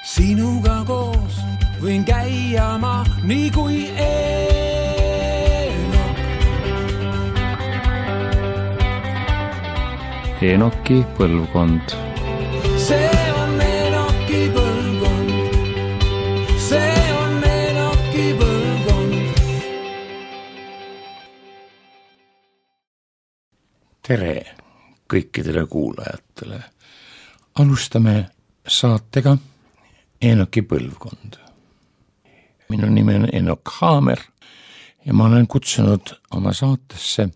Sinuga koos võin käia ma nii kui Enoki põlvkond. See on Enoki põlvkond. See on Enoki põlvkond. Tere kõikidele kuulajatele. Alustame saatega Enoki põlvkond. Minu nimi on Enok Haamer ja ma olen kutsunud oma saatesse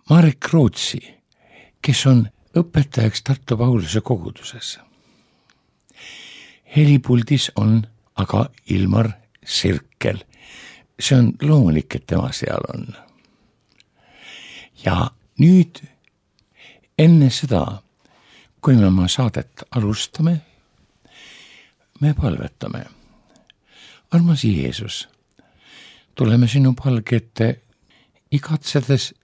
Marek Rootsi, kes on õpetajaks Tartu Pauluse koguduses. Helipuldis on aga Ilmar Sirkel. See on loomulik, et tema seal on. Ja nüüd enne seda, kui me oma saadet alustame, me palvetame. Armas Jeesus, tuleme sinu palge ette igatsedes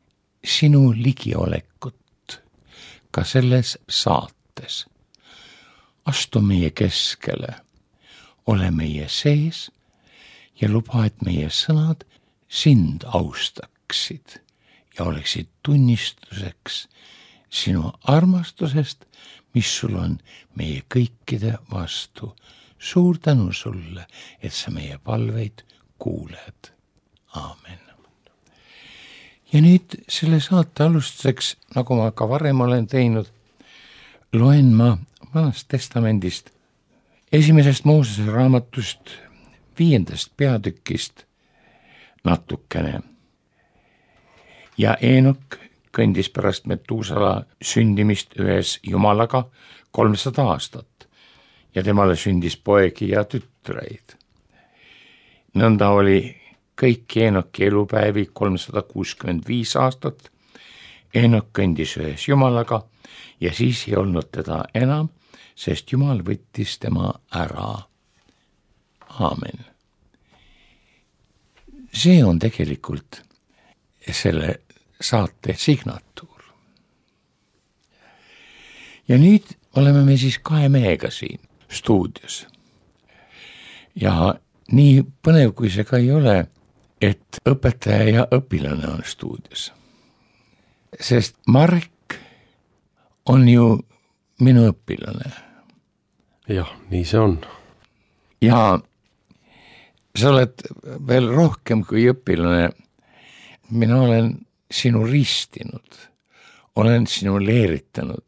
sinu ligiolekut ka selles saates. Astu meie keskele, ole meie sees ja luba, et meie sõnad sind austaksid ja oleksid tunnistuseks sinu armastusest, mis sul on meie kõikide vastu. Suur tänu sulle, et sa meie palveid kuuled. Aamen. Ja nüüd selle saate alustuseks, nagu ma ka varem olen teinud, loen ma Vanast Testamendist 1. Moosese raamatust 5. peatükist natukene. Ja Enok kõndis pärast Metusala sündimist ühes Jumalaga 300 aastat ja temale sündis poegi ja tütreid. Nõnda oli kõik Enoki elupäevi 365 aastat. Enok kõndis ühes Jumalaga ja siis ei olnud teda enam, sest Jumal võttis tema ära. Aamen. See on tegelikult selle saate signatuur. Ja nüüd oleme me siis 2 mehega siin stuudios. Ja nii põnev, kui see ka ei ole, et õpetaja ja õpilane on stuudios. Sest Marek on ju minu õpilane. Jah, nii see on. Ja sa oled veel rohkem kui õpilane. Mina olen sinu ristinud, olen sinu leeritanud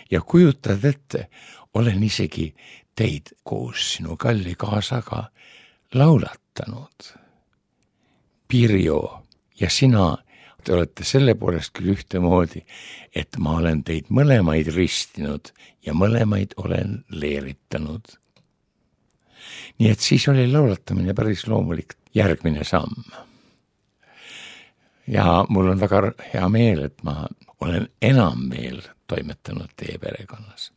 ja kujutad ette, olen isegi teid koos sinu kalli kaasaga laulatanud. Pirjo ja sina, te olete selle poolest küll ühtemoodi, et ma olen teid mõlemaid ristinud ja mõlemaid olen leeritanud. Nii et siis oli laulatamine päris loomulik järgmine samm. Ja mul on väga hea meel, et ma olen enam veel toimetanud teie perekonnas.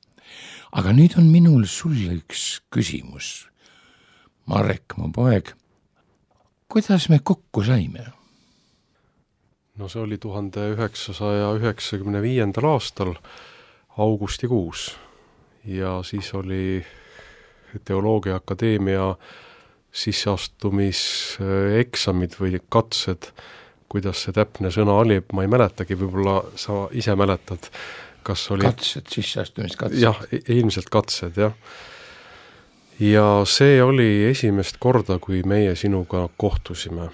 Aga nüüd on minul sulle üks küsimus. Marek, mu poeg, kuidas me kokku saime? No see oli 1995. aastal augustikuus ja siis oli Teoloogia Akadeemia sisseastumiseksamid või katsed. Kuidas see täpne sõna oli, ma ei mäletagi, võib-olla sa ise mäletad, kas oli... Katsed, sisseastumiskatsed. Jah, ilmselt katsed, jah. Ja see oli esimest korda, kui meie sinuga kohtusime.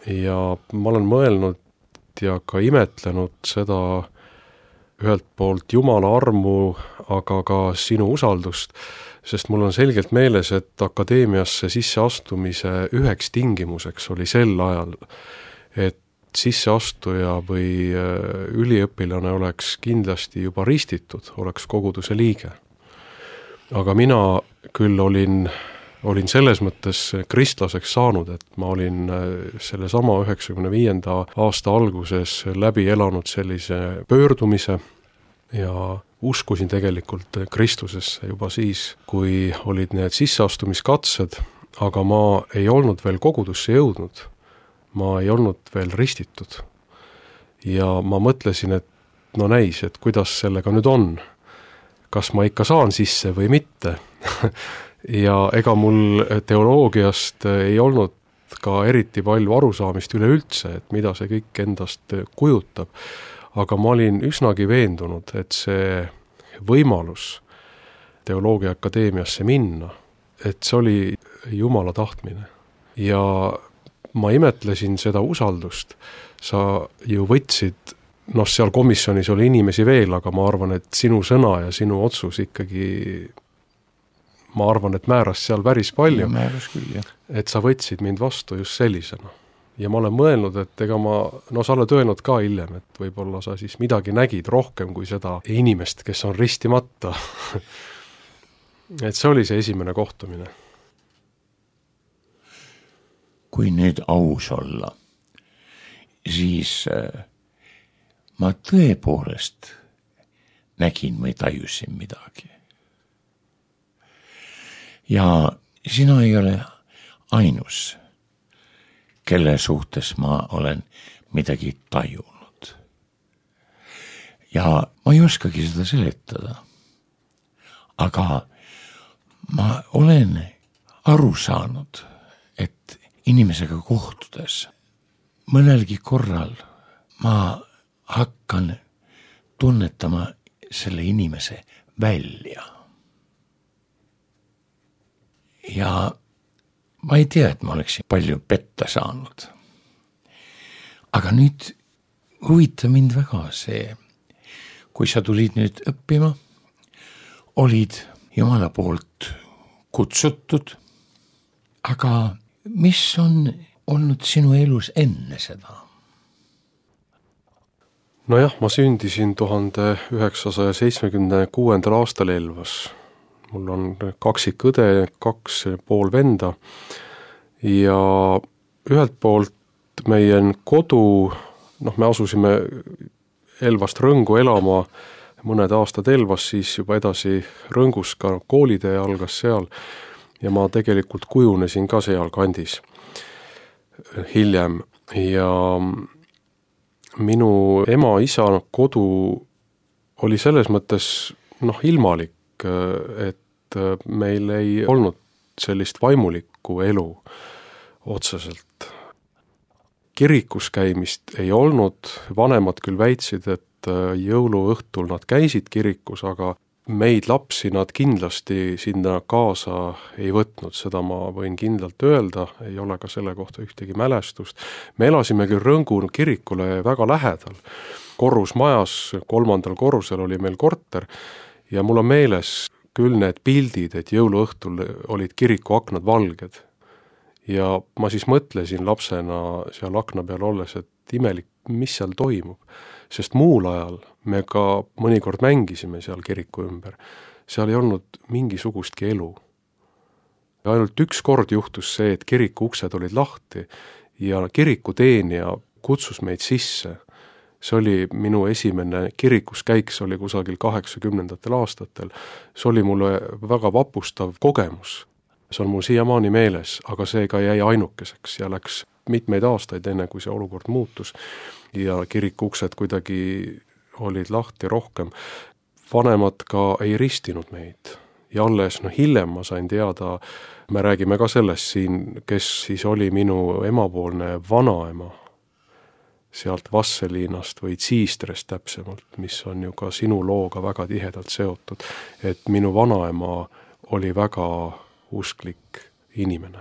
Ja ma olen mõelnud ja ka imetlenud seda ühelt poolt Jumala armu, aga ka sinu usaldust, sest mul on selgelt meeles, et akadeemiasse sisseastumise üheks tingimuseks oli sel ajal, et sisseastuja või üliõpilane oleks kindlasti juba ristitud, oleks koguduse liige. Aga mina küll olin selles mõttes kristlaseks saanud, et ma olin selle sama 95. aasta alguses läbi elanud sellise pöördumise ja uskusin tegelikult Kristusesse juba siis, kui olid need sisseastumiskatsed, aga ma ei olnud veel kogudusse jõudnud. Ma ei olnud veel ristitud. Ja ma mõtlesin, et no näis, et kuidas sellega nüüd on. Kas ma ikka saan sisse või mitte? ja ega mul teoloogiast ei olnud ka eriti palju arusaamist üleüldse, et mida see kõik endast kujutab. Aga ma olin üsnagi veendunud, et see võimalus teoloogia akadeemiasse minna, et see oli Jumala tahtmine. Ja ma imetlesin seda usaldust. Sa ju võtsid, seal komisjonis oli inimesi veel, aga ma arvan, et sinu sõna ja sinu otsus ikkagi, ma arvan, et määras seal päris palju. Määras küll, jah. Et sa võtsid mind vastu just sellisena. Ja ma olen mõelnud, et ega sa oled öelnud ka hiljem, et võib-olla sa siis midagi nägid rohkem kui seda inimest, kes on ristimata. Et see oli see esimene kohtumine. Kui nüüd aus olla, siis ma tõepoolest nägin või tajusin midagi. Ja sina ei ole ainus, kelle suhtes ma olen midagi tajunud. Ja ma ei oskagi seda seletada. Aga ma olen aru saanud, et inimesega kohtudes mõnelgi korral ma hakkan tunnetama selle inimese välja. Ja ma ei tea, et ma oleksin palju petta saanud. Aga nüüd huvitab mind väga see, kui sa tulid nüüd õppima, olid Jumala poolt kutsutud, aga mis on olnud sinu elus enne seda? Nojah, ma sündisin 1976. aastal Elvas. Mul on kaksikõde, 2,5 venda ja ühelt poolt meie kodu, me asusime Elvast Rõngu elama mõned aastad Elvas, siis juba edasi Rõngus ka koolitee algas seal ja ma tegelikult kujunesin ka seal kandis hiljem ja minu ema-isa kodu oli selles mõttes ilmalik, et meil ei olnud sellist vaimulikku elu otseselt. Kirikus käimist ei olnud, vanemad küll väitsid, et jõuluõhtul nad käisid kirikus, aga meid lapsi nad kindlasti sinna kaasa ei võtnud, seda ma võin kindlalt öelda, ei ole ka selle kohta ühtegi mälestust. Me elasime küll Rõngu kirikule väga lähedal, korrusmajas, 3. korrusel oli meil korter ja mul on meeles küll need pildid, et jõuluõhtul olid kiriku aknad valged. Ja ma siis mõtlesin lapsena seal akna peal olles, et imelik, mis seal toimub. Sest muul ajal me ka mõnikord mängisime seal kiriku ümber. Seal ei olnud mingisugustki elu. Ja ainult üks kord juhtus see, et kiriku uksed olid lahti ja kiriku teenija kutsus meid sisse. See oli minu esimene kirikus käik, see oli kusagil 80. aastatel. See oli mulle väga vapustav kogemus. See on mul siiamaani meeles, aga see ka jäi ainukeseks ja läks mitmeid aastaid enne, kui see olukord muutus. Ja kiriku uksed kuidagi olid lahti rohkem. Vanemad ka ei ristinud meid. Ja alles hiljem ma sain teada, me räägime ka sellest siin, kes siis oli minu emapoolne vanaema. Sealt Vasseliinast või Tsiistrest täpsemalt, mis on ju ka sinu looga väga tihedalt seotud, et minu vanaema oli väga usklik inimene.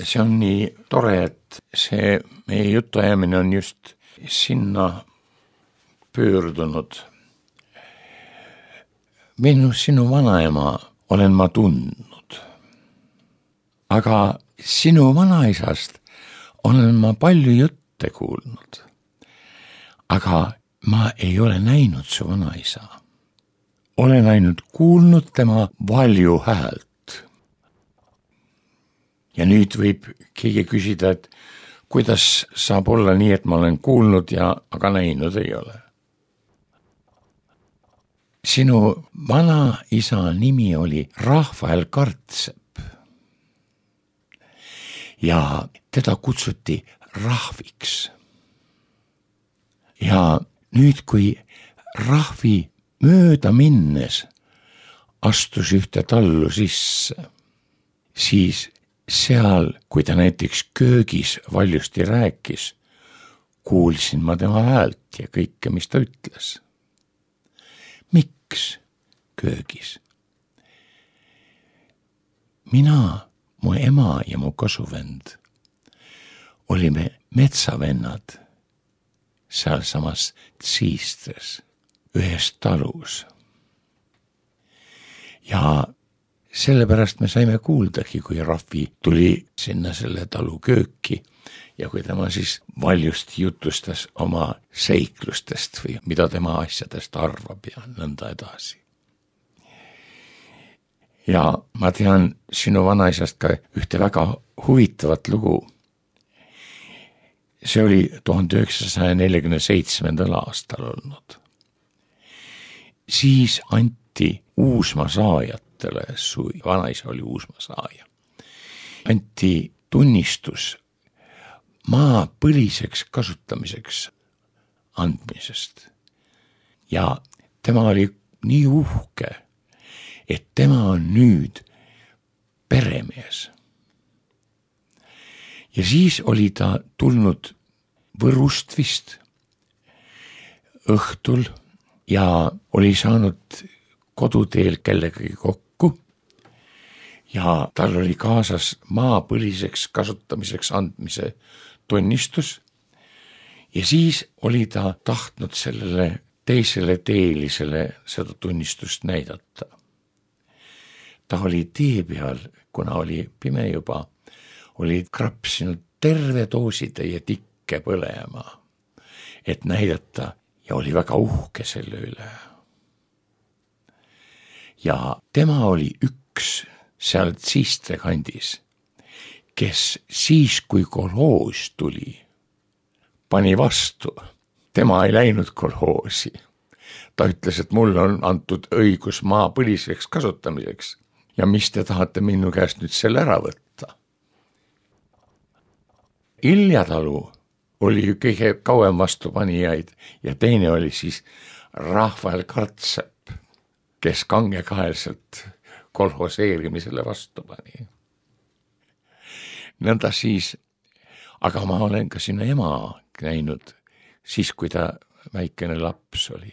see on nii tore, et see meie jutuajamine on just sinna pöördunud. Sinu vanaema olen ma tundnud, aga sinu vanaisast olen ma palju jutte kuulnud, aga ma ei ole näinud su vanaisa. Olen ainult kuulnud tema valju häält. Ja nüüd võib keegi küsida, et kuidas saab olla nii, et ma olen kuulnud ja aga näinud ei ole. Sinu vanaisa nimi oli Rahvael Kartsepp ja teda kutsuti rahviks. Ja nüüd, kui rahvi mööda minnes astus ühte tallu sisse, siis seal, kui ta näiteks köögis valjusti rääkis, kuulsin ma tema häält ja kõike, mis ta ütles. Miks köögis? Mina, mu ema ja mu kasuvend olime metsavennad seal samas Tsiistres ühes talus. Ja sellepärast me saime kuuldagi, kui rahvi tuli sinna selle talu kööki ja kui tema siis valjusti jutustas oma seiklustest või mida tema asjadest arvab ja nõnda edasi. Ja ma tean sinu vanaisast ka ühte väga huvitavat lugu. See oli 1947. aastal olnud. Siis anti Uusmaa saajatele, su vanaisa oli Uusmaa saaja, anti tunnistus maa põliseks kasutamiseks andmisest. Ja tema oli nii uhke, et tema on nüüd peremees. Ja siis oli ta tulnud Võrust vist õhtul ja oli saanud koduteel kellegagi kokku ja tal oli kaasas maa põliseks kasutamiseks andmise tunnistus ja siis oli ta tahtnud sellele teisele teelisele seda tunnistust näidata. Ta oli tee peal, kuna oli pime juba, oli krapsinud terve doositäie tikke põlema, et näidata ja oli väga uhke selle üle. Ja tema oli üks seal Tsiistre kandis, kes siis, kui kolhoos tuli, pani vastu. Tema ei läinud kolhoosi. Ta ütles, et mul on antud õigus maa põliseks kasutamiseks ja mis te tahate minu käest nüüd selle ära võtta? Iljatalu oli ju kõige kauem vastupanijaid ja teine oli siis Rahvael Kartsepp, kes kangekaelselt kolhoseerimisele vastu pani. Nõnda siis, aga ma olen ka sinu ema näinud siis, kui ta väikene laps oli.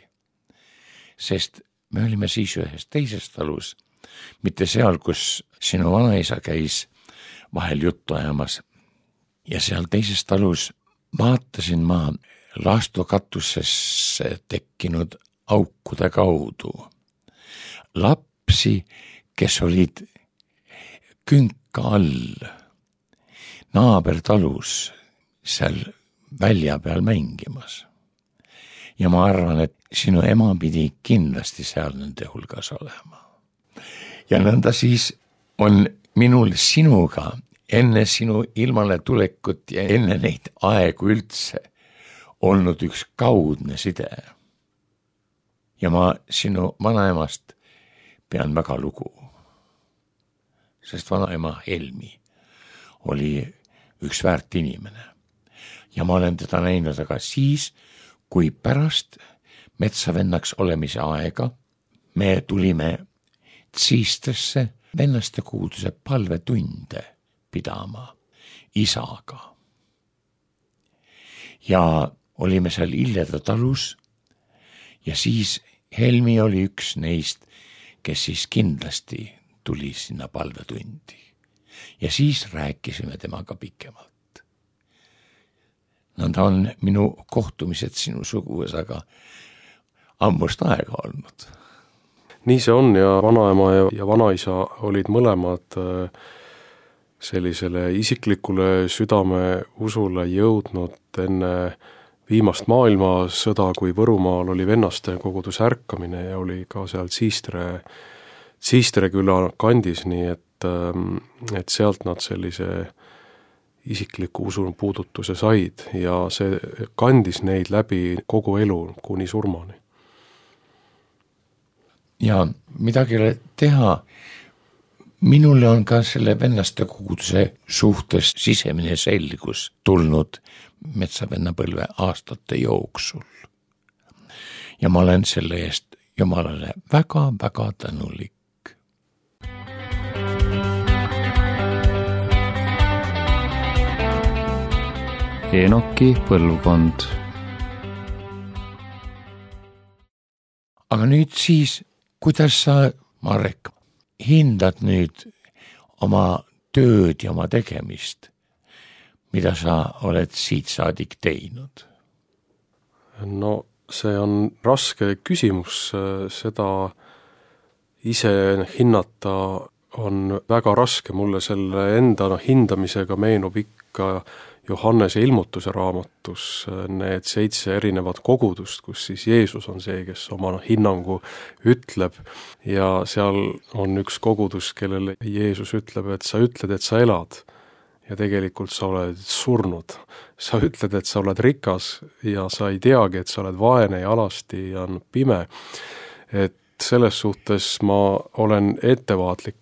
Sest me olime siis ühes teises talus, mitte seal, kus sinu vanaisa käis vahel juttu ajamas. Ja seal teises talus vaatasin ma laastukatusesse tekkinud aukude kaudu lapsi, kes olid künka all naabertalus seal välja peal mängimas. Ja ma arvan, et sinu ema pidi kindlasti seal nende hulgas olema. Ja nõnda siis on minul sinuga enne sinu ilmale tulekut ja enne neid aegu üldse olnud üks kaudne side. Ja ma sinu vanaemast pean väga lugu. Sest vanaema Helmi oli üks väärt inimene. Ja ma olen teda näinud aga siis, kui pärast metsavennaks olemise aega me tulime Tsiistresse vennaste kuuduse palvetunde pidama isaga. Ja olime seal Iljata talus ja siis Helmi oli üks neist, kes siis kindlasti tuli sinna palvetundi. ja siis rääkisime temaga pikemalt. Nad on minu kohtumised sinu suguvõsaga ammust aega olnud. Nii see on ja vanaema ja vanaisa olid mõlemad sellisele isiklikule südame usule jõudnud enne viimast maailmasõda, kui Võrumaal oli vennaste kogudus ärkamine ja oli ka seal Siistre küla kandis, nii et sealt nad sellise isikliku usun puudutuse said ja see kandis neid läbi kogu elu kuni surmani. Ja midagi ei ole teha, minule on ka selle vennaste koguduse suhtes sisemine selgus tulnud metsavennapõlve aastate jooksul. Ja ma olen selle eest Jumalale väga-väga tänulik. Enoki põlvkond. Aga nüüd siis, kuidas sa, Marek, hindad nüüd oma tööd ja oma tegemist, mida sa oled siit saadik teinud? No see on raske küsimus, seda ise hinnata on väga raske, mulle selle enda hindamisega meenub ikka Johannese ilmutuse raamatus need 7 erinevat kogudust, kus siis Jeesus on see, kes oma hinnangu ütleb ja seal on üks kogudus, kellele Jeesus ütleb, et sa ütled, et sa elad ja tegelikult sa oled surnud. Sa ütled, et sa oled rikas ja sa ei teagi, et sa oled vaene ja alasti ja on pime. Et selles suhtes ma olen ettevaatlik,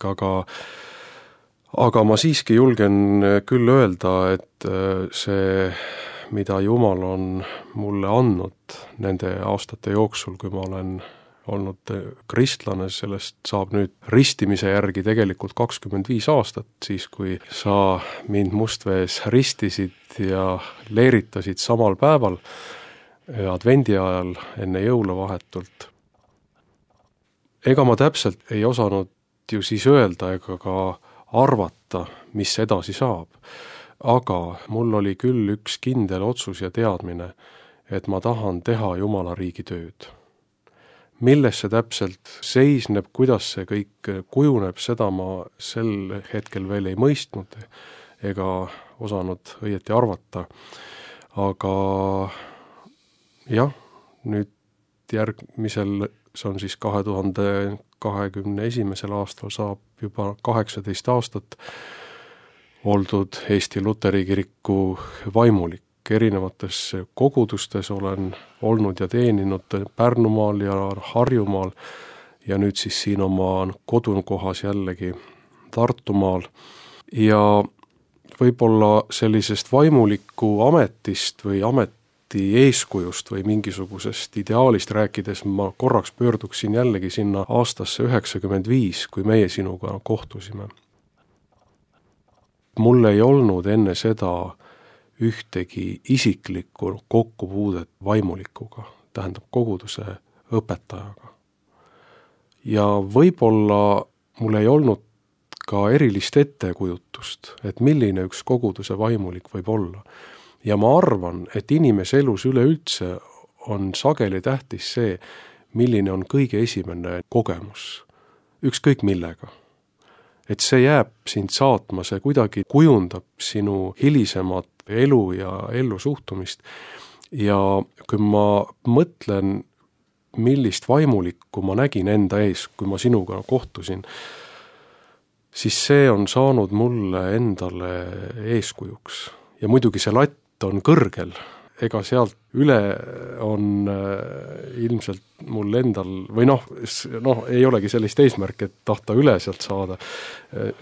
aga ma siiski julgen küll öelda, et see, mida Jumal on mulle andnud nende aastate jooksul, kui ma olen olnud kristlane, sellest saab nüüd ristimise järgi tegelikult 25 aastat, siis kui sa mind Mustvees ristisid ja leeritasid samal päeval advendi ajal enne jõuluvahetult. Ega ma täpselt ei osanud ju siis öelda ega ka arvata, mis edasi saab. Aga mul oli küll üks kindel otsus ja teadmine, et ma tahan teha Jumala riigi tööd. Milles see täpselt seisneb, kuidas see kõik kujuneb, seda ma sel hetkel veel ei mõistnud ega osanud õieti arvata. Aga jah, nüüd järgmisel, see on siis 2021. aastal saab juba 18 aastat oldud Eesti Luteri kiriku vaimulik. Erinevates kogudustes olen olnud ja teeninud Pärnumaal ja Harjumaal ja nüüd siis siin oma kodukohas jällegi Tartumaal. Ja võib-olla sellisest vaimuliku ametist või ameti eeskujust või mingisugusest ideaalist rääkides ma korraks pöörduksin jällegi sinna aastasse 95, kui meie sinuga kohtusime. Mul ei olnud enne seda ühtegi isiklikku kokkupuudet vaimulikuga, tähendab koguduse õpetajaga. Ja võib-olla mul ei olnud ka erilist ettekujutust, et milline üks koguduse vaimulik võib olla. Ja ma arvan, et inimese elus üleüldse on sageli tähtis see, milline on kõige esimene kogemus, ükskõik millega. Et see jääb sind saatma, see kuidagi kujundab sinu hilisemat elu ja ellu suhtumist. Ja kui ma mõtlen, millist vaimulikku ma nägin enda ees, kui ma sinuga kohtusin, siis see on saanud mulle endale eeskujuks. Ja muidugi see latt on kõrgel, ega sealt üle on ilmselt mul endal, või ei olegi sellist eesmärki, et tahta üle sealt saada,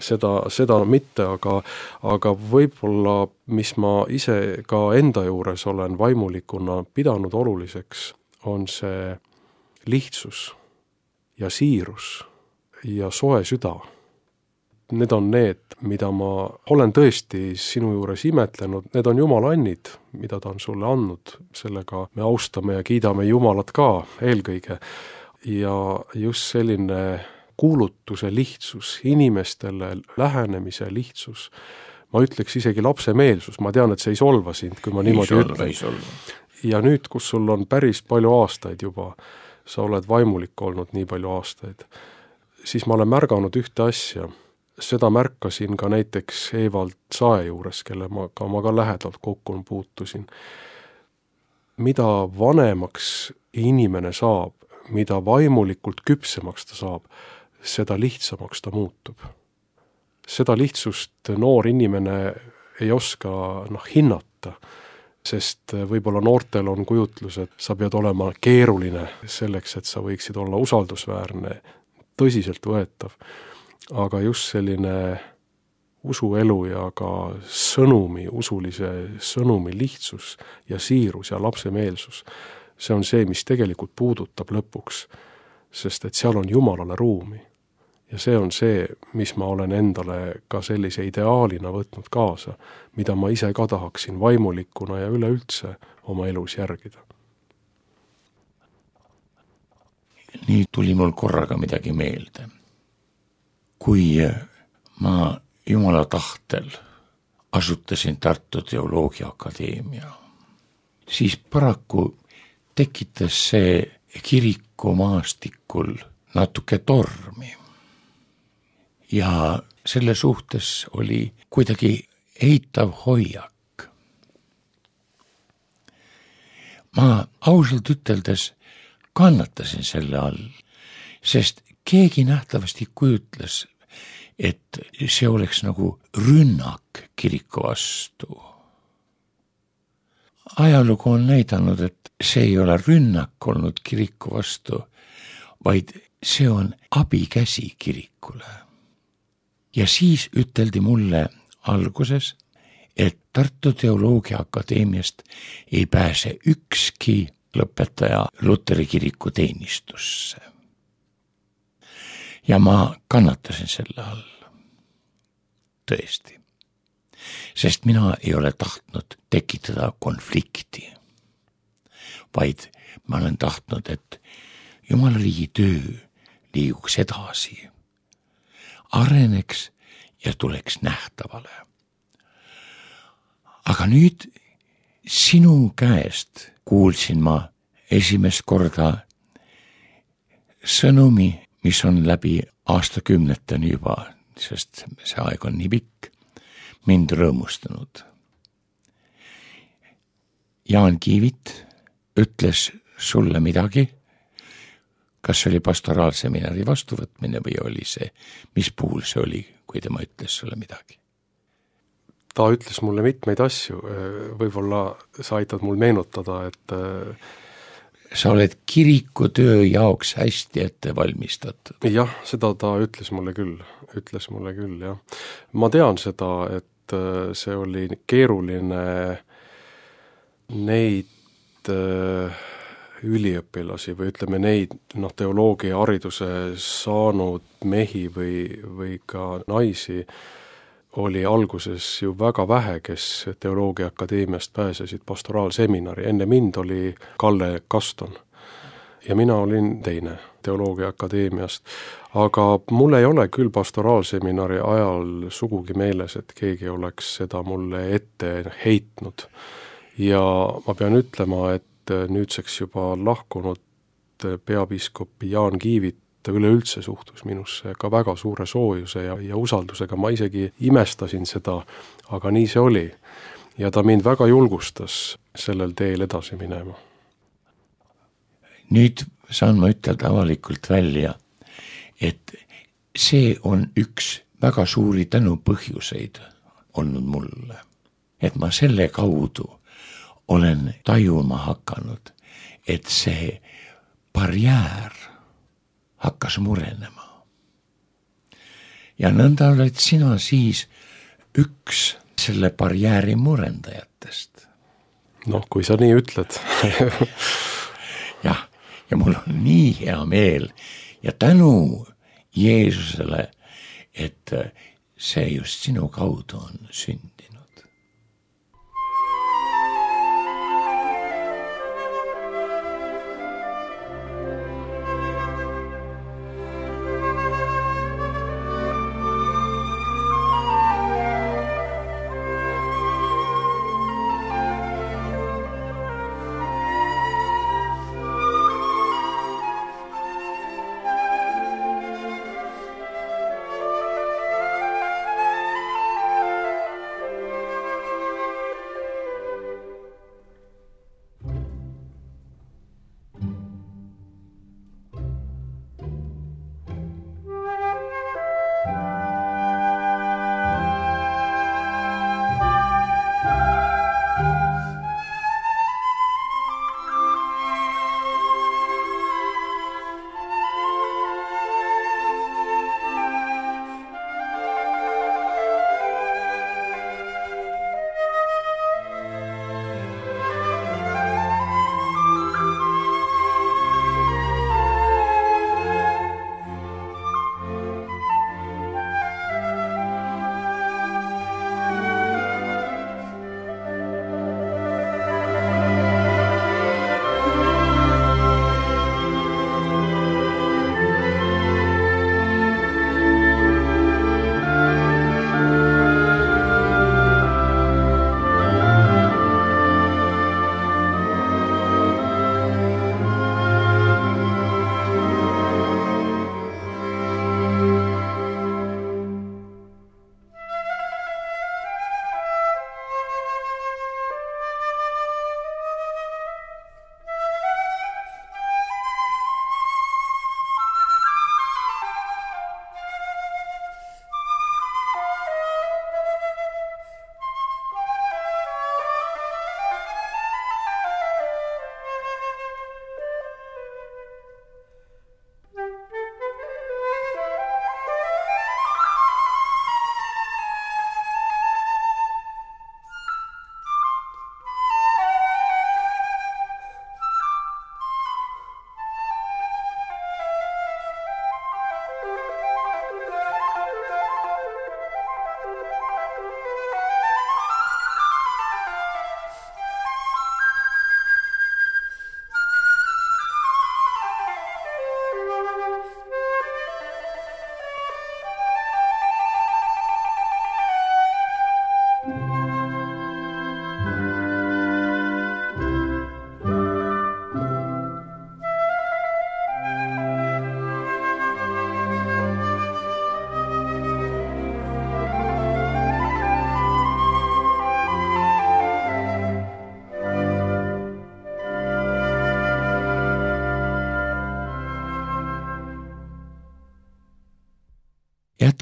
seda mitte, aga võib-olla, mis ma ise ka enda juures olen vaimulikuna pidanud oluliseks, on see lihtsus ja siirus ja soe süda. Need on need, mida ma olen tõesti sinu juures imetlenud, need on Jumala annid, mida ta on sulle andnud, sellega me austame ja kiidame Jumalat ka eelkõige. Ja just selline kuulutuse lihtsus, inimestele lähenemise lihtsus, ma ütleks isegi lapsemeelsus, ma tean, et see ei solva sind, kui ma niimoodi ütlen. Ja nüüd, kus sul on päris palju aastaid juba, sa oled vaimulik olnud nii palju aastaid, siis ma olen märganud ühte asja. Seda märkasin ka näiteks Evald Sae juures, kelle ma ka lähedalt kokku puutusin. Mida vanemaks inimene saab, mida vaimulikult küpsemaks ta saab, seda lihtsamaks ta muutub. Seda lihtsust noor inimene ei oska hinnata, sest võib-olla noortel on kujutlus, et sa pead olema keeruline selleks, et sa võiksid olla usaldusväärne, tõsiselt võetav. Aga just selline usuelu ja ka usulise sõnumi lihtsus ja siirus ja lapsemeelsus, see on see, mis tegelikult puudutab lõpuks, sest et seal on Jumalale ruumi. Ja see on see, mis ma olen endale ka sellise ideaalina võtnud kaasa, mida ma ise ka tahaksin vaimulikuna ja üleüldse oma elus järgida. Nii tuli mul korraga midagi meelde. Kui ma Jumala tahtel asutasin Tartu Teoloogia Akadeemia, siis paraku tekitas see kirikumaastikul natuke tormi. Ja selle suhtes oli kuidagi eitav hoiak. Ma ausalt üteldes kannatasin selle all, sest keegi nähtavasti kujutles, et see oleks nagu rünnak kiriku vastu. Ajalugu on näidanud, et see ei ole rünnak olnud kiriku vastu, vaid see on abikäsi kirikule. Ja siis üteldi mulle alguses, et Tartu Teoloogia Akadeemiast ei pääse ükski lõpetaja Luteri kiriku teenistusse. Ja ma kannatasin selle all. Tõesti. Sest mina ei ole tahtnud tekitada konflikti, vaid ma olen tahtnud, et Jumala riigi töö liiguks edasi, areneks ja tuleks nähtavale. Aga nüüd sinu käest kuulsin ma esimest korda sõnumi, mis on läbi aastakümneteni juba, sest see aeg on nii pikk, mind rõõmustanud. Jaan Kiivit ütles sulle midagi, kas see oli pastoraalseminari vastuvõtmine või oli see, mis puhul see oli, kui tema ütles sulle midagi? Ta ütles mulle mitmeid asju, võib-olla sa aitad mul meenutada, et sa oled kirikutöö jaoks hästi ette valmistatud. Jah, seda ta ütles mulle küll, jah. Ma tean seda, et see oli keeruline neid üliõpilasi või ütleme neid teoloogia hariduse saanud mehi või ka naisi oli alguses ju väga vähe, kes Teoloogia Akadeemiast pääsesid pastoraalseminari. Enne mind oli Kalle Kaston ja mina olin teine Teoloogia Akadeemiast. Aga mul ei ole küll pastoraalseminari ajal sugugi meeles, et keegi oleks seda mulle ette heitnud. Ja ma pean ütlema, et nüüdseks juba lahkunud peapiiskop Jaan Kiivit üleüldse suhtus minusse ka väga suure soojuse ja usaldusega. Ma isegi imestasin seda, aga nii see oli. Ja ta mind väga julgustas sellel teel edasi minema. Nüüd saan ma ütelda avalikult välja, et see on üks väga suuri tänu põhjuseid olnud mulle. Et ma selle kaudu olen tajuma hakanud, et see barjäär hakkas murenema. Ja nõnda oled sina siis üks selle barjääri murendajatest. Kui sa nii ütled. Jah, ja mul on nii hea meel ja tänu Jeesusele, et see just sinu kaudu on sündinud.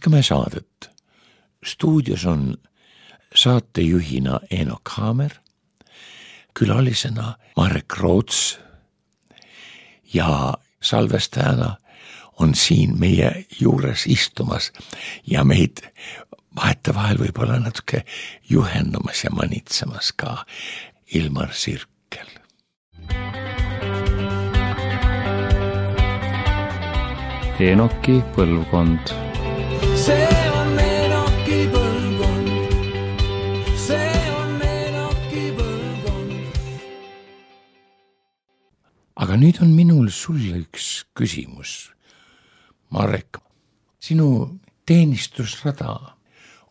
jätkame saadet. Stuudios on saatejuhina Eenok Haamer, külalisena Marek Roots ja salvestajana on siin meie juures istumas ja meid vahetevahel võib-olla natuke juhendamas ja manitsemas ka Ilmar Sirkel. Eenoki põlvkond. See on Eenoki põlvkond. See on Eenoki põlvkond. Aga nüüd on minul sulle üks küsimus. Marek, sinu teenistusrada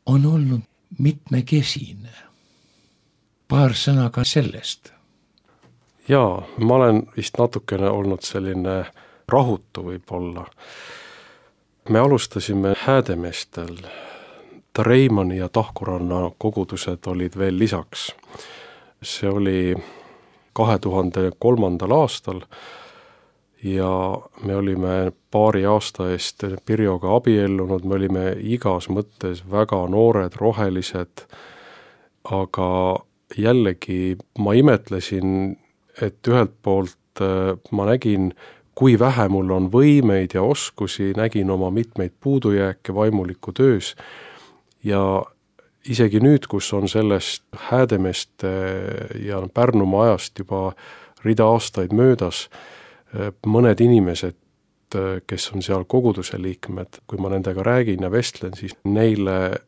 on olnud mitmekesine. Paar sõna ka sellest. Jaa, ma olen vist natukene olnud selline rahutu võib-olla. Me alustasime Häädemeestel. Reimani ja Tahkuranna kogudused olid veel lisaks. See oli 2003. aastal ja me olime paari aasta eest Pirjoga abiellunud, me olime igas mõttes väga noored, rohelised, aga jällegi ma imetlesin, et ühelt poolt ma nägin, kui vähe mul on võimeid ja oskusi, nägin oma mitmeid puudujääke vaimuliku töös ja isegi nüüd, kus on sellest Häädemeeste ja Pärnumaa ajast juba rida aastaid möödas, mõned inimesed, kes on seal koguduse liikmed, kui ma nendega räägin ja vestlen, siis neile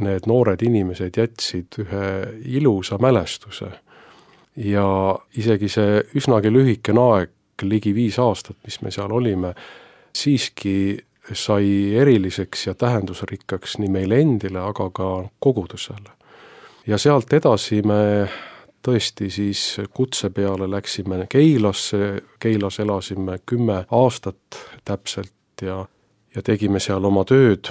need noored inimesed jätsid ühe ilusa mälestuse. Ja isegi see üsnagi lühikene aeg, ligi 5 aastat, mis me seal olime, siiski sai eriliseks ja tähendusrikkaks nii meile endile, aga ka kogudusele. Ja sealt edasi me tõesti siis kutse peale läksime Keilasse, Keilas elasime 10 aastat täpselt ja tegime seal oma tööd.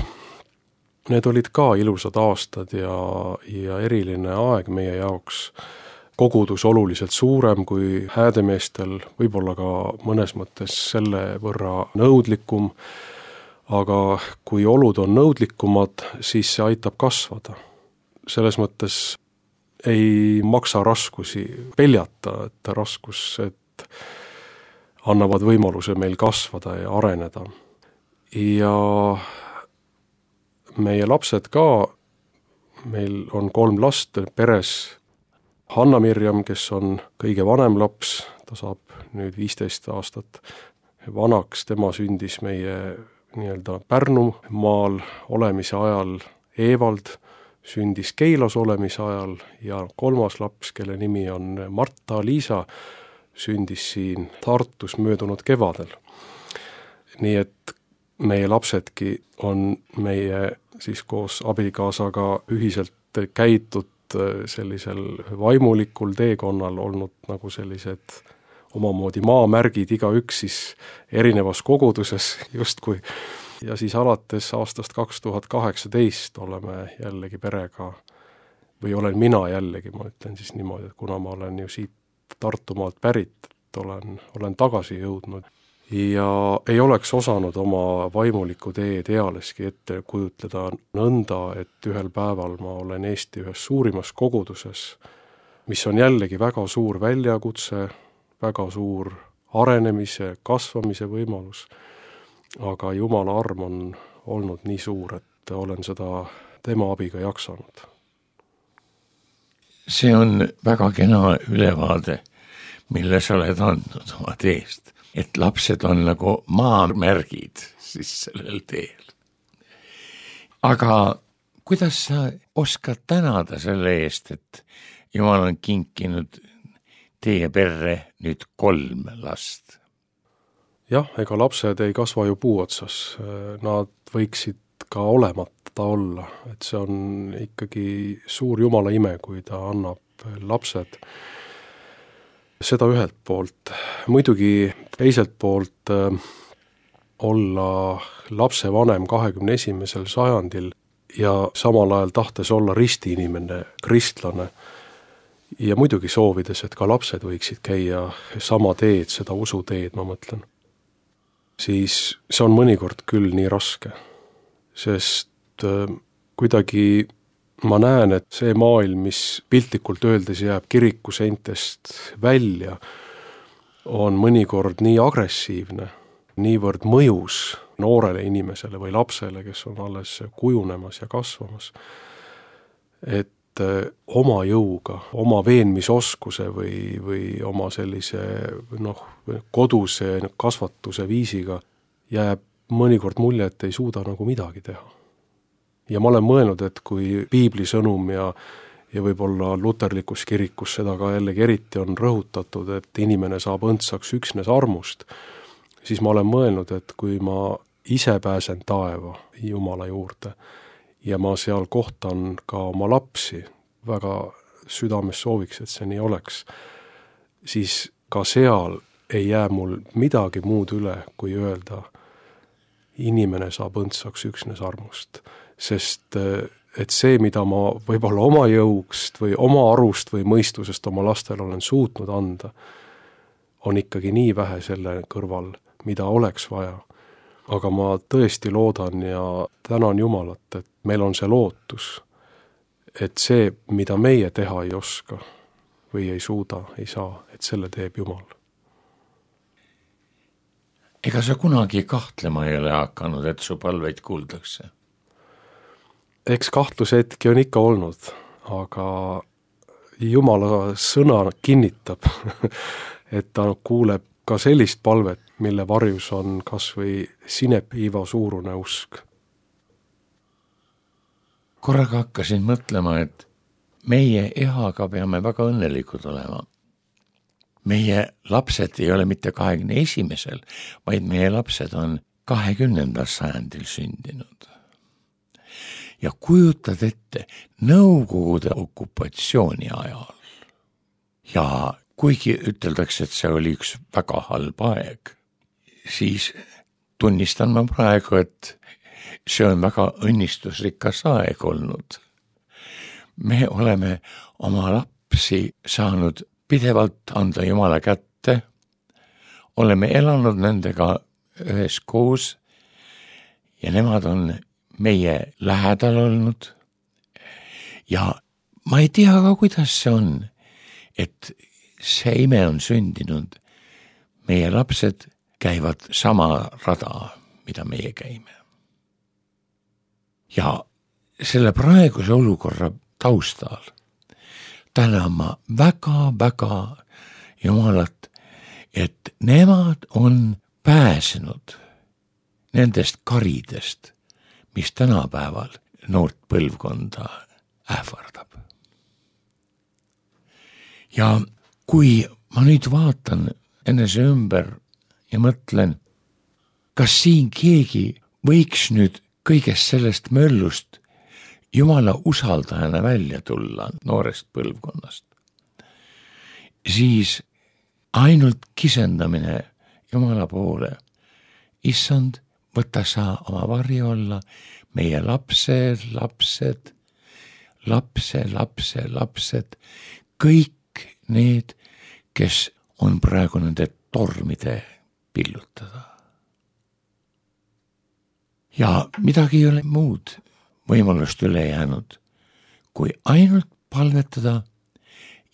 Need olid ka ilusad aastad ja eriline aeg meie jaoks. Kogudus oluliselt suurem kui Häädemeestel, võib-olla ka mõnes mõttes selle võrra nõudlikum, aga kui olud on nõudlikumad, siis see aitab kasvada. Selles mõttes ei maksa raskusi peljata, et raskused annavad võimaluse meil kasvada ja areneda. Ja meie lapsed ka, meil on 3 last peres. Hanna-Mirjam, kes on kõige vanem laps, ta saab nüüd 15 aastat vanaks, tema sündis meie nii-öelda Pärnumaal olemise ajal, Evald sündis Keilas olemise ajal ja 3. laps, kelle nimi on Marta-Liisa, sündis siin Tartus möödunud kevadel. Nii et meie lapsedki on meie siis koos abikaasaga ühiselt käitud sellisel vaimulikul teekonnal olnud nagu sellised omamoodi maamärgid, igaüks siis erinevas koguduses justkui. Ja siis alates aastast 2018 oleme jällegi perega, või olen mina jällegi, ma ütlen siis niimoodi, et kuna ma olen ju siit Tartumaalt pärit, et olen tagasi jõudnud ja ei oleks osanud oma vaimuliku teed ealeski ette kujutleda nõnda, et ühel päeval ma olen Eesti ühes suurimas koguduses, mis on jällegi väga suur väljakutse, väga suur arenemise, kasvamise võimalus, aga Jumala arm on olnud nii suur, et olen seda tema abiga jaksanud. See on väga kena ülevaade, mille sa oled andnud oma teest. Et lapsed on nagu maamärgid siis sellel teel. Aga kuidas sa oskad tänada selle eest, et Jumal on kinkinud teie perre nüüd 3 last? Jah, ega lapsed ei kasva ju puu otsas. Nad võiksid ka olemata olla. Et see on ikkagi suur Jumala ime, kui ta annab lapsed. Seda ühelt poolt. Muidugi teiselt poolt olla lapsevanem 21. sajandil ja samal ajal tahtes olla ristiinimene, kristlane ja muidugi soovides, et ka lapsed võiksid käia sama teed, seda usuteed, ma mõtlen. Siis see on mõnikord küll nii raske. sest kuidagi ma näen, et see maailm, mis piltlikult öeldes jääb kirikuseintest välja, on mõnikord nii agressiivne, niivõrd mõjus noorele inimesele või lapsele, kes on alles kujunemas ja kasvamas, et oma jõuga, oma veenmisoskuse või oma sellise koduse kasvatuse viisiga jääb mõnikord mulje, et ei suuda nagu midagi teha. Ja ma olen mõelnud, et kui piibli sõnum ja võib-olla luterlikus kirikus seda ka jällegi eriti on rõhutatud, et inimene saab õndsaks üksnes armust, siis ma olen mõelnud, et kui ma ise pääsen taeva Jumala juurde ja ma seal kohtan ka oma lapsi, väga südames sooviks, et see nii oleks, siis ka seal ei jää mul midagi muud üle, kui öelda, inimene saab õndsaks üksnes armust. Sest et see, mida ma võib-olla oma jõust või oma arust või mõistusest oma lastele olen suutnud anda, on ikkagi nii vähe selle kõrval, mida oleks vaja. Aga ma tõesti loodan ja tänan Jumalat, et meil on see lootus, et see, mida meie teha ei oska või ei suuda, ei saa, et selle teeb Jumal. Ega sa kunagi kahtlema ei ole hakanud, et su palveid kuuldakse? Eks kahtlushetki on ikka olnud, aga Jumala sõna kinnitab, et ta kuuleb ka sellist palvet, mille varjus on kas või sinepiiva suurune usk. Korraga hakkasin mõtlema, et meie ehaga peame väga õnnelikud olema. Meie lapsed ei ole mitte 21. vaid meie lapsed on 20. sajandil sündinud. Ja kujutad ette Nõukogude okupatsiooni ajal. Ja kuigi üteldakse, et see oli üks väga halb aeg, siis tunnistan ma praegu, et see on väga õnnistusrikas aeg olnud. Me oleme oma lapsi saanud pidevalt anda Jumala kätte, oleme elanud nendega üheskoos ja nemad on meie lähedal olnud ja ma ei tea ka, kuidas see on, et see ime on sündinud. Meie lapsed käivad sama rada, mida meie käime. Ja selle praeguse olukorra taustal tänan ma väga-väga Jumalat, et nemad on pääsenud nendest karidest, mis tänapäeval noort põlvkonda ähvardab. Ja kui ma nüüd vaatan enese ümber ja mõtlen, kas siin keegi võiks nüüd kõigest sellest möllust Jumala usaldajana välja tulla noorest põlvkonnast, siis ainult kisendamine Jumala poole, issand, võta sa oma varju olla, meie lapsed, kõik need, kes on praegu nende tormide pillutada. Ja midagi ei ole muud võimalust üle jäänud, kui ainult palvetada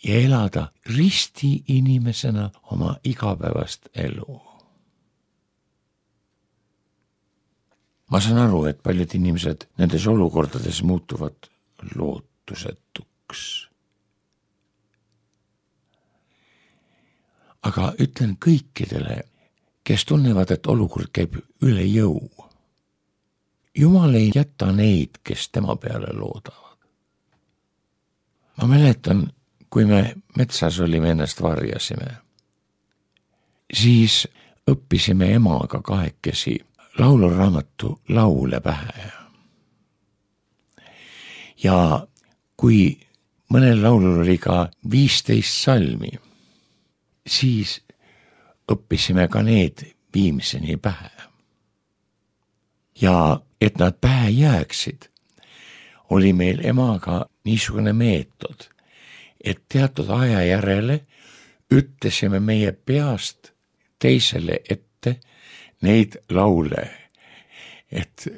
ja elada risti inimesena oma igapäevast elu. Ma saan aru, et paljud inimesed nendes olukordades muutuvad lootusetuks. Aga ütlen kõikidele, kes tunnevad, et olukord käib üle jõu. Jumal ei jäta neid, kes tema peale loodavad. Ma mäletan, kui me metsas olime, ennast varjasime, siis õppisime emaga kahekesi lauluraamatu laule pähe. Ja kui mõnel laulul oli ka 15 salmi, siis õppisime ka need viimseni pähe. Ja et nad pähe jääksid, oli meil emaga niisugune meetod, et teatud aja järele ütlesime meie peast teisele ette neid laule, et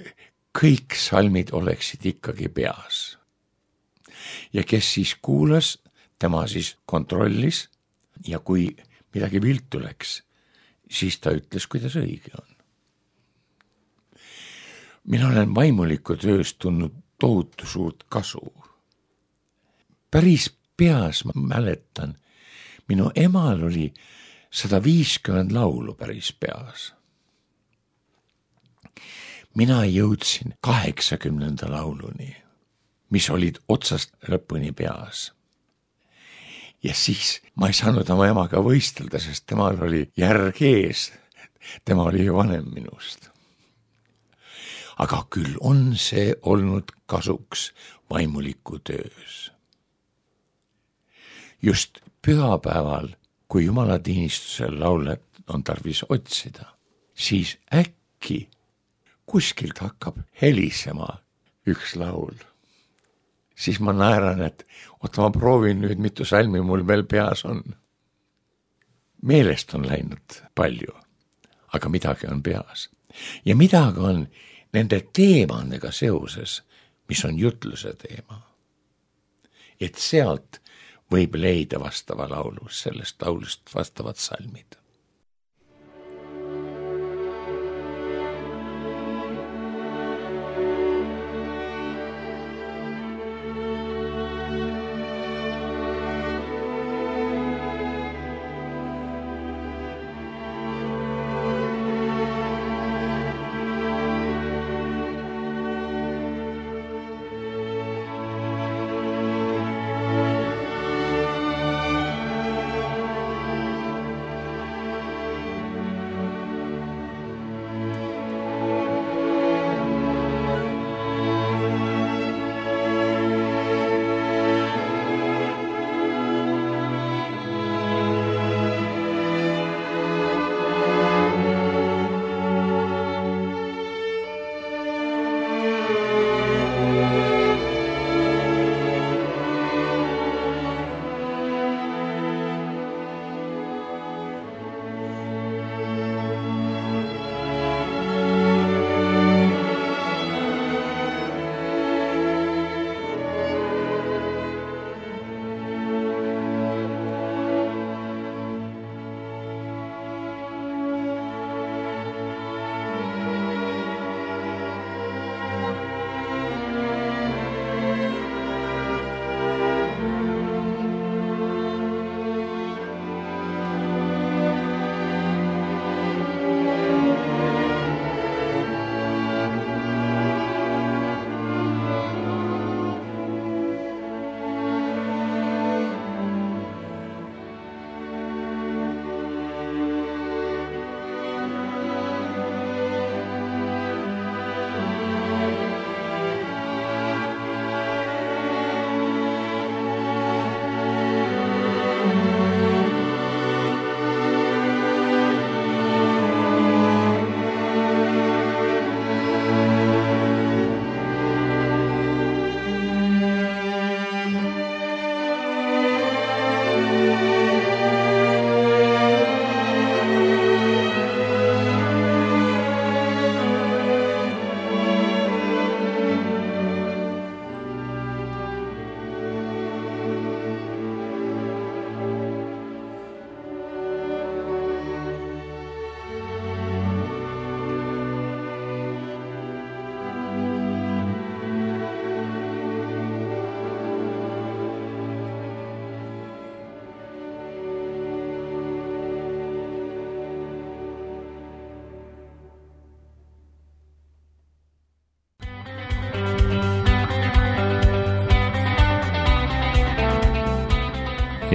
kõik salmid oleksid ikkagi peas. Ja kes siis kuulas, tema siis kontrollis ja kui midagi viltu läks, siis ta ütles, kuidas õige on. Mina olen vaimuliku tööst tundnud tohutu suurt kasu. Päris peas ma mäletan, minu emal oli 150 laulu päris peas. Mina jõudsin 80. lauluni, mis olid otsast lõpuni peas. Ja siis ma ei saanud oma emaga võistelda, sest temal oli järg ees. Tema oli ju vanem minust. Aga küll on see olnud kasuks vaimuliku töös. Just pühapäeval, kui jumalatiinistusel laulet on tarvis otsida, siis äkki kuskilt hakkab helisema üks laul. Siis ma naeran, et ma proovin nüüd, mitu salmi mul veel peas on. Meelest on läinud palju, aga midagi on peas. Ja midagi on nende teemadega seoses, mis on jutluse teema. Et sealt võib leida vastava laulu, sellest laulust vastavad salmid.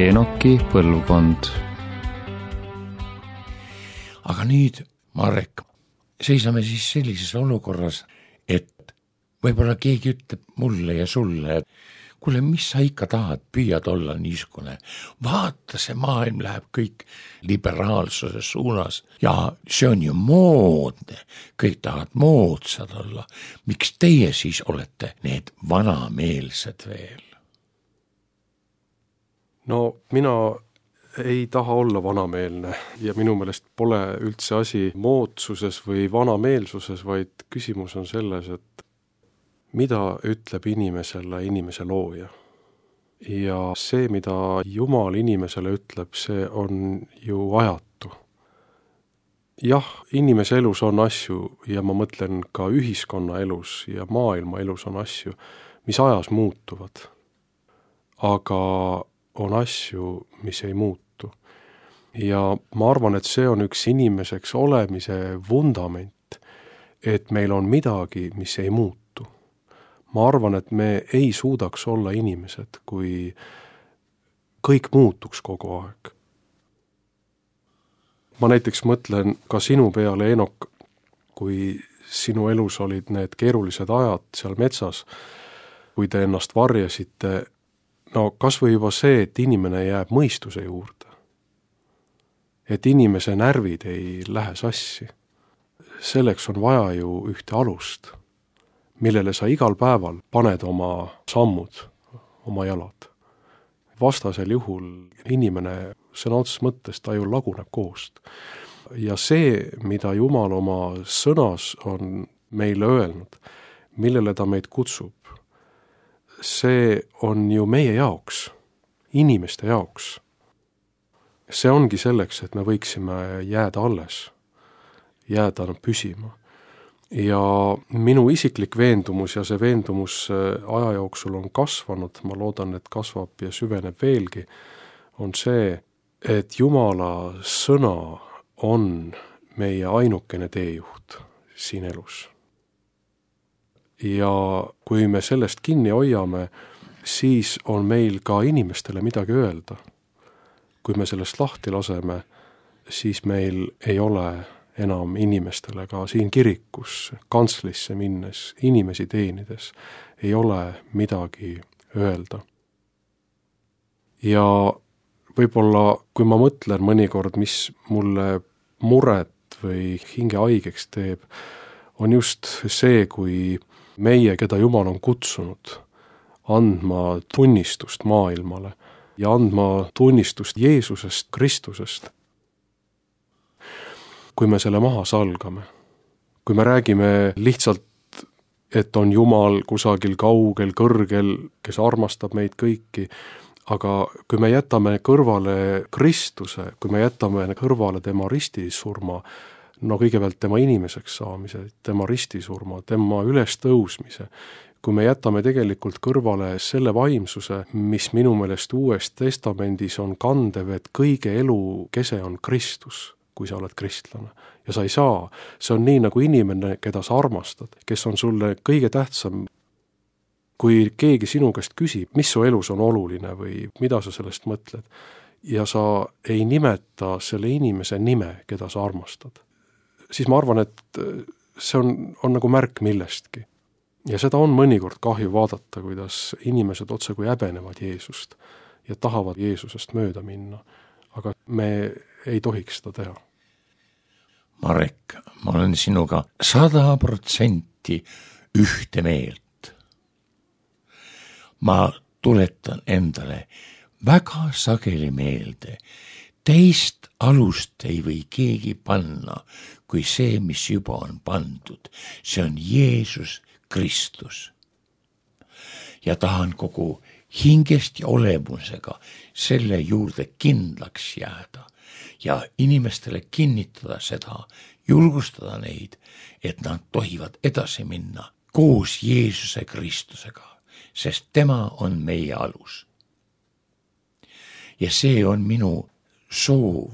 Enoki põlvkond. Aga nüüd, Marek, seisame siis sellises olukorras, et võib-olla keegi ütleb mulle ja sulle, et kuule, mis sa ikka tahad, püüad olla niisugune, vaata, see maailm läheb kõik liberaalsuse suunas ja see on ju moodne, kõik tahavad moodsad olla. Miks teie siis olete need vanameelsed veel? No mina ei taha olla vanameelne ja minu meelest pole üldse asi moodsuses või vanameelsuses, vaid küsimus on selles, et mida ütleb inimesele inimese looja. Ja see, mida Jumal inimesele ütleb, see on ju ajatu. Jah, inimese elus on asju ja ma mõtlen ka ühiskonna elus ja maailma elus on asju, mis ajas muutuvad. Aga on asju, mis ei muutu. Ja ma arvan, et see on üks inimeseks olemise vundament, et meil on midagi, mis ei muutu. Ma arvan, et me ei suudaks olla inimesed, kui kõik muutuks kogu aeg. Ma näiteks mõtlen ka sinu peale, Enok, kui sinu elus olid need keerulised ajad seal metsas, kui te ennast varjasite, no kas või juba see, et inimene jääb mõistuse juurde. Et inimese närvid ei lähe sassi. Selleks on vaja ju ühte alust, millele sa igal päeval paned oma sammud, oma jalad. Vastasel juhul inimene sõna otseses mõttes ta ju laguneb koost. Ja see, mida Jumal oma sõnas on meile öelnud, millele ta meid kutsub, see on ju meie jaoks, inimeste jaoks. See ongi selleks, et me võiksime jääda alles, jääda püsima. Ja minu isiklik veendumus ja see veendumus aja jooksul on kasvanud, ma loodan, et kasvab ja süveneb veelgi, on see, et Jumala sõna on meie ainukene teejuht siin elus. Ja kui me sellest kinni hoiame, siis on meil ka inimestele midagi öelda. Kui me sellest lahti laseme, siis meil ei ole enam inimestele ka siin kirikus, kantslisse minnes, inimesi teenides, ei ole midagi öelda. Ja võib-olla, kui ma mõtlen mõnikord, mis mulle muret või hinge haigeks teeb, on just see, kui meie, keda Jumal on kutsunud, andma tunnistust maailmale ja andma tunnistust Jeesusest, Kristusest. Kui me selle maha salgame, kui me räägime lihtsalt, et on Jumal kusagil kaugel, kõrgel, kes armastab meid kõiki, aga kui me jätame kõrvale Kristuse, kui me jätame kõrvale tema ristisurma, no kõigepealt tema inimeseks saamise, tema ristisurma, tema ülestõusmise, kui me jätame tegelikult kõrvale selle vaimsuse, mis minu meelest Uues Testamendis on kandev, et kõige elu kese on Kristus, kui sa oled kristlane. Ja sa ei saa, see on nii nagu inimene, keda sa armastad, kes on sulle kõige tähtsam. Kui keegi sinu käest küsib, mis su elus on oluline või mida sa sellest mõtled, ja sa ei nimeta selle inimese nime, keda sa armastad, siis ma arvan, et see on nagu märk millestki. Ja seda on mõnikord kahju vaadata, kuidas inimesed otse kui häbenevad Jeesust ja tahavad Jeesusest mööda minna. Aga me ei tohiks seda teha. Marek, ma olen sinuga 100% ühte meelt. Ma tuletan endale väga sageli meelde, teist alust ei või keegi panna, kui see, mis juba on pandud. See on Jeesus Kristus. Ja tahan kogu hingest ja olemusega selle juurde kindlaks jääda ja inimestele kinnitada seda, julgustada neid, et nad tohivad edasi minna koos Jeesuse Kristusega, sest tema on meie alus. Ja see on minu soov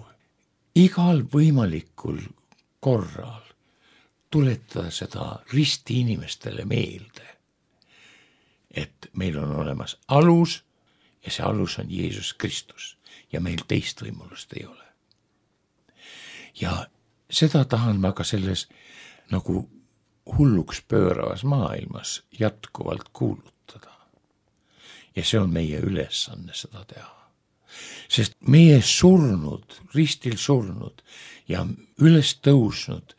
igal võimalikul korral tuletada seda risti inimestele meelde, et meil on olemas alus ja see alus on Jeesus Kristus ja meil teist võimalust ei ole. Ja seda tahan ma ka selles nagu hulluks pööravas maailmas jätkuvalt kuulutada. Ja see on meie ülesanne seda teha. Sest meie surnud, ristil surnud ja üles tõusnud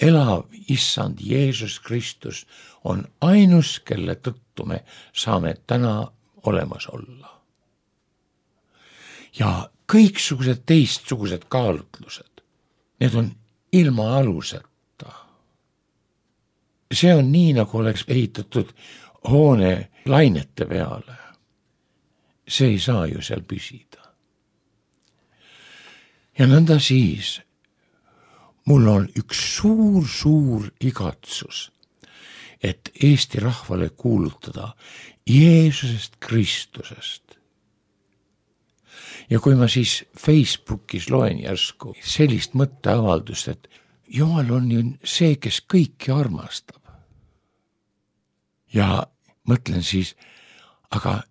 elav issand Jeesus Kristus on ainus, kelle tõttu me saame täna olemas olla. Ja kõiksugused teistsugused kaalutlused, need on ilma aluseta. see on nii, nagu oleks ehitatud hoone lainete peale. See ei saa ju seal püsida. Ja nõnda siis mul on üks suur igatsus, et Eesti rahvale kuulutada Jeesusest Kristusest. Ja kui ma siis Facebookis loen järsku sellist mõtteavaldust, et Jumal on ju see, kes kõiki armastab. Ja mõtlen siis, aga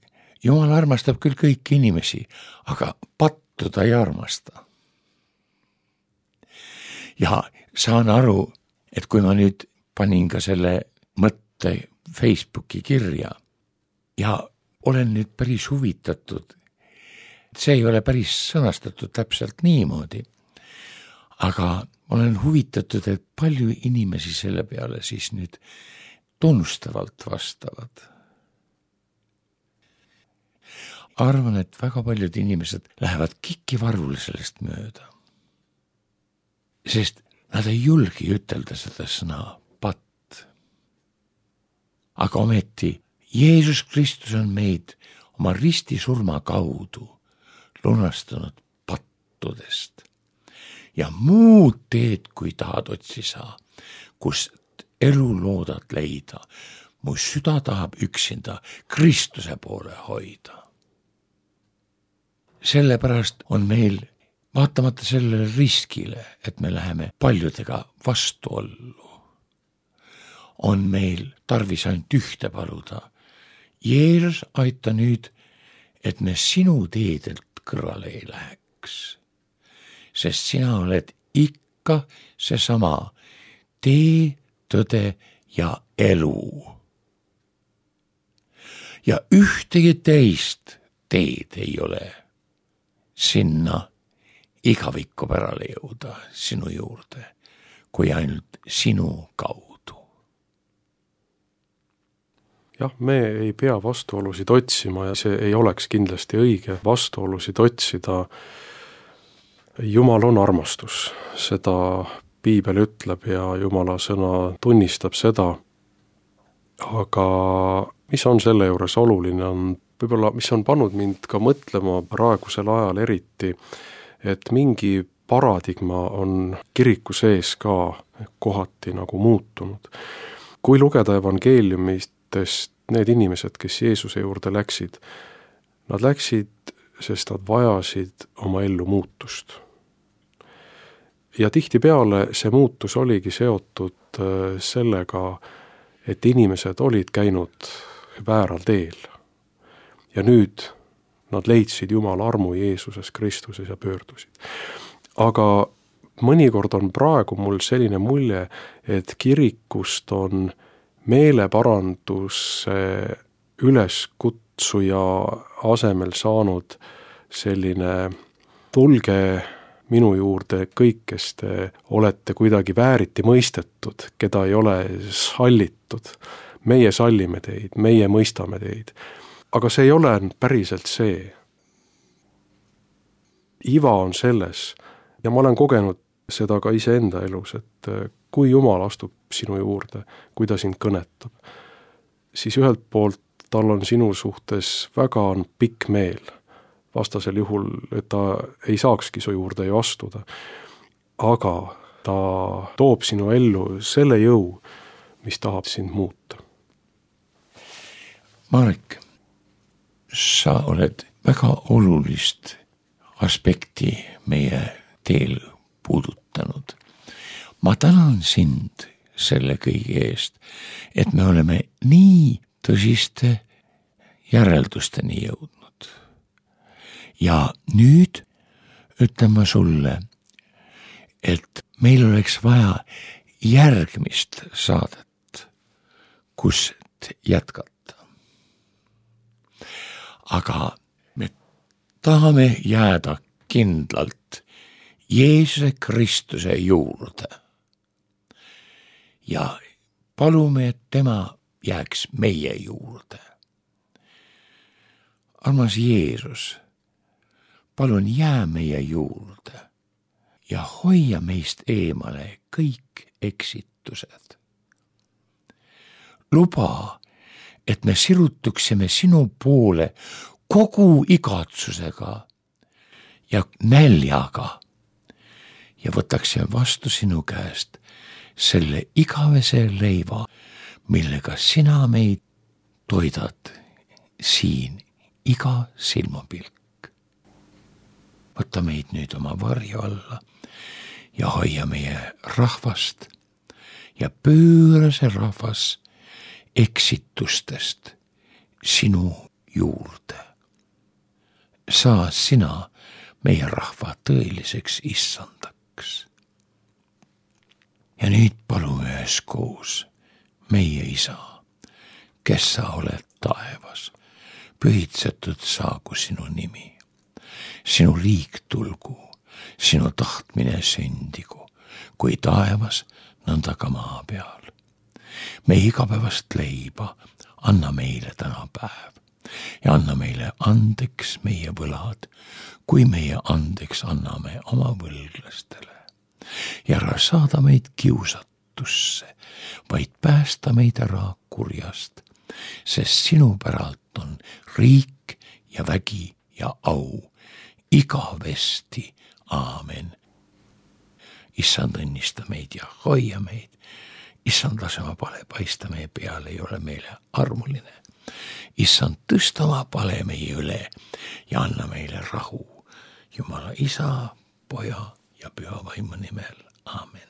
Jumal armastab küll kõiki inimesi, aga pattu ta ei armasta. Ja saan aru, et kui ma nüüd panin ka selle mõtte Facebooki kirja ja olen nüüd päris huvitatud, see ei ole päris sõnastatud täpselt niimoodi, aga olen huvitatud, et palju inimesi selle peale siis nüüd tunnustavalt vastavad. Arvan, et väga paljud inimesed lähevad kikivarvule sellest mööda, sest nad ei julgi ütelda seda sõna patt. Aga ometi Jeesus Kristus on meid oma ristisurma kaudu lunastanud pattudest. Ja muud teed, kui tahad otsi saa, kus elu loodad leida, mu süda tahab üksinda Kristuse poole hoida. Sellepärast on meil, vaatamata sellele riskile, et me läheme paljudega vastuollu, on meil tarvis ainult ühte paluda. Jeesus, aita nüüd, et me sinu teedelt kõrvale ei läheks, sest sina oled ikka seesama tee, tõde ja elu. Ja ühtegi teist teed ei ole sinna igavikku pärale jõuda sinu juurde, kui ainult sinu kaudu. Jah, me ei pea vastuolusid otsima ja see ei oleks kindlasti õige vastuolusid otsida. Jumal on armastus, seda Piibel ütleb ja Jumala sõna tunnistab seda, aga mis on selle juures oluline, on võib-olla, mis on pannud mind ka mõtlema praegusel ajal eriti, et mingi paradigma on kiriku sees ka kohati nagu muutunud. Kui lugeda evangeeliumist, need inimesed, kes Jeesuse juurde läksid, nad läksid, sest nad vajasid oma ellu muutust. Ja tihtipeale see muutus oligi seotud sellega, et inimesed olid käinud vääral teel. Ja nüüd nad leidsid Jumala armu Jeesuses Kristuses ja pöördusid. Aga mõnikord on praegu mul selline mulje, et kirikust on meeleparanduse üleskutsuja asemel saanud selline tulge minu juurde kõik, kes te olete kuidagi vääriti mõistetud, keda ei ole sallitud. Meie sallime teid, meie mõistame teid. Aga see ei ole päriselt see. Iva on selles, ja ma olen kogenud seda ka iseenda elus, et kui Jumal astub sinu juurde, kui ta sind kõnetab, siis ühelt poolt tal on sinu suhtes väga pikk meel, vastasel juhul, et ta ei saakski su juurde ju astuda. Aga ta toob sinu ellu selle jõu, mis tahab sind muuta. Marek, sa oled väga olulist aspekti meie teel puudutanud. Ma tänan sind selle kõige eest, et me oleme nii tõsiste järeldusteni jõudnud. Ja nüüd ütlen ma sulle, et meil oleks vaja järgmist saadet, kust jätkata. Aga me tahame jääda kindlalt Jeesuse Kristuse juurde ja palume, et tema jääks meie juurde. Armas Jeesus, palun jää meie juurde ja hoia meist eemale kõik eksitused. luba, et me sirutuksime sinu poole kogu igatsusega ja näljaga ja võtaksime vastu sinu käest selle igavese leiva, millega sina meid toidad siin iga silmapilk. Võta meid nüüd oma varju alla ja hoia meie rahvast ja pööra see rahvas eksitustest sinu juurde. Saa sina meie rahva tõeliseks issandaks. Ja nüüd palume üheskoos, meie isa, kes sa oled taevas, pühitsetud saagu sinu nimi. Sinu riik tulgu, sinu tahtmine sündigu, kui taevas, nõnda ka maa peal. Me igapäevast leiba anna meile täna päev ja anna meile andeks meie võlad, kui meie andeks anname oma võlglastele. Ja ära saada meid kiusatusse, vaid päästa meid ära kurjast, sest sinu päralt on riik ja vägi ja au igavesti. Aamen. Issand, õnnista meid ja hoia meid. Issand, lase oma pale paista meie peale ja ole meile armuline. Issand, tõsta oma pale meie üle ja anna meile rahu. Jumala isa, poja ja püha vaimu nimel. Aamen.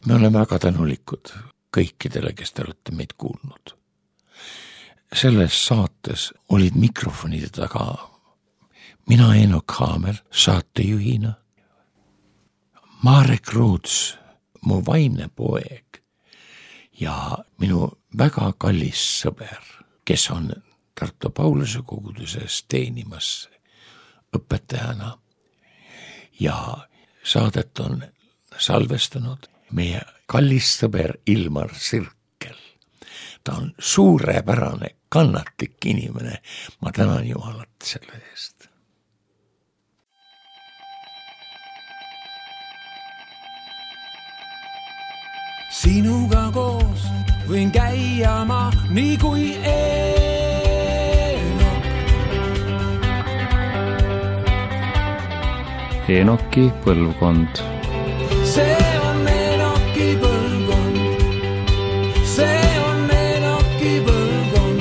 Me oleme väga tänulikud kõikidele, kes te olete meid kuulnud. Selles saates olid mikrofonide taga mina, Eenok Haamer, saatejuhina, Marek Ruuts, mu vaimne poeg ja minu väga kallis sõber, kes on Tartu Pauluse koguduses teenimas õpetajana ja saadet on salvestanud meie kallis sõber Ilmar Sirkel. Ta on suurepärane, kannatlik inimene. Ma tänan Jumalat selle eest. Sinuga koos võin käia ma nii kui Enoki põlvkond. See on Enoki põlvkond. See on Enoki põlvkond.